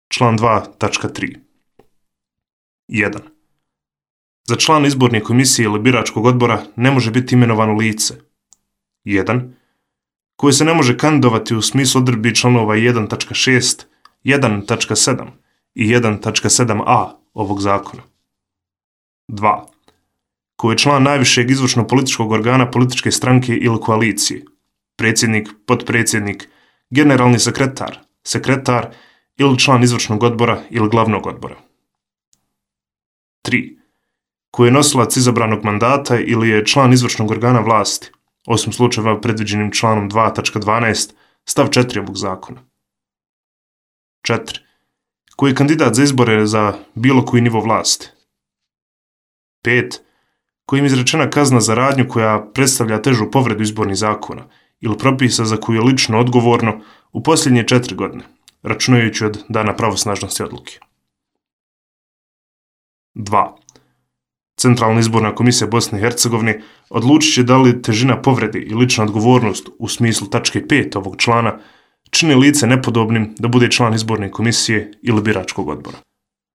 Član 2.3. 1. Za člana izborne komisije ili biračkog odbora ne može biti imenovano lice 1. koje se ne može kandidovati u smislu odredbi članova 1.6, 1.7 i 1.7a ovog zakona. 2. koji je član najvišeg izvršno-političkog organa političke stranke ili koalicije, predsjednik, potpredsjednik, generalni sekretar, sekretar ili član izvršnog odbora ili glavnog odbora. 3. koji je nosilac izabranog mandata ili je član izvršnog organa vlasti, osim slučajeva predviđenim članom 2.12 stav 4 ovog zakona. 4. koji je kandidat za izbore za bilo koji nivo vlasti. 5. kojim je izrečena kazna za radnju koja predstavlja težu povredu izbornih zakona ili propisa za koju je lično odgovorno u posljednje 4 godine, računajući od dana pravosnažnosti odluke. 2. Centralna izborna komisija Bosne i Hercegovine odlučit će da li težina povrede i lična odgovornost u smislu tačke 5 ovog člana čini lice nepodobnim da bude član izborne komisije ili biračkog odbora.